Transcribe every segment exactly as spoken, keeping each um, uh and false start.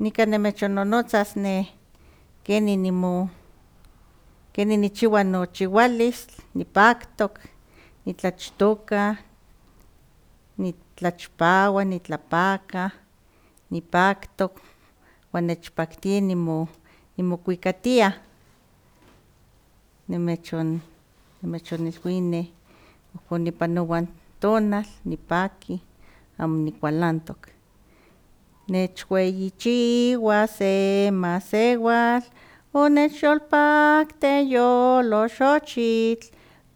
Nika nimechonnonotzas ne keni nimo keni nichiwa nochiwalis, nipaktok, nitlachtoka, nitlachpawa, nitlapaka, nipaktok, wan nechpaktia nimo nimokuikatia, nimechon nimechonilwia ne ihkon nipanowa n tonal nipaki amo nikualantok. Nechueyichiwa se masewal, onechyolpakte yoloxochitl,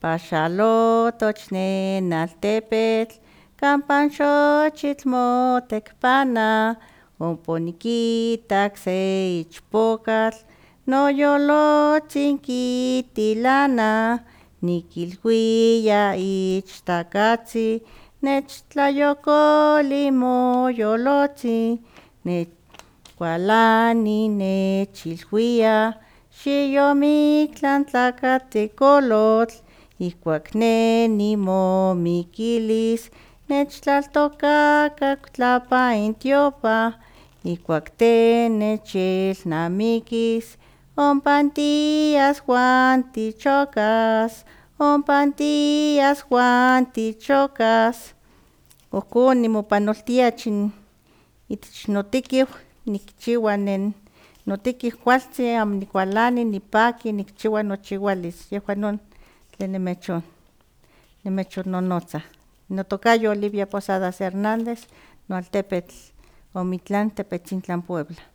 paxalotoch nen altepetl, kampa n xochitl motekpana, ompa onikitak se ichpokatl, noyolotzin kitilana, nikilhuia ichtakatzin nechtlayokoli moyolotzin, nekualani nechilhuia xiyomiktlan tlakatikolotl, ihkuak ne nimomikilis nechtlaltokaka tlapa intiopan, ihkuak te nechelnamikis ompa tias wan tichokas, ompa tias wan tichokas. Ohkon nimopanoltia achin itech notekiu nikchiwa nen notekiu kualtzin amo nikualani nipaki nikchiwa nochiwalis, yehua non tlen nimechon nimechonnonotza. Notokayo Olivia Posadas Hernández, noaltepetl Omitlán, Tepetzintlan, Puebla.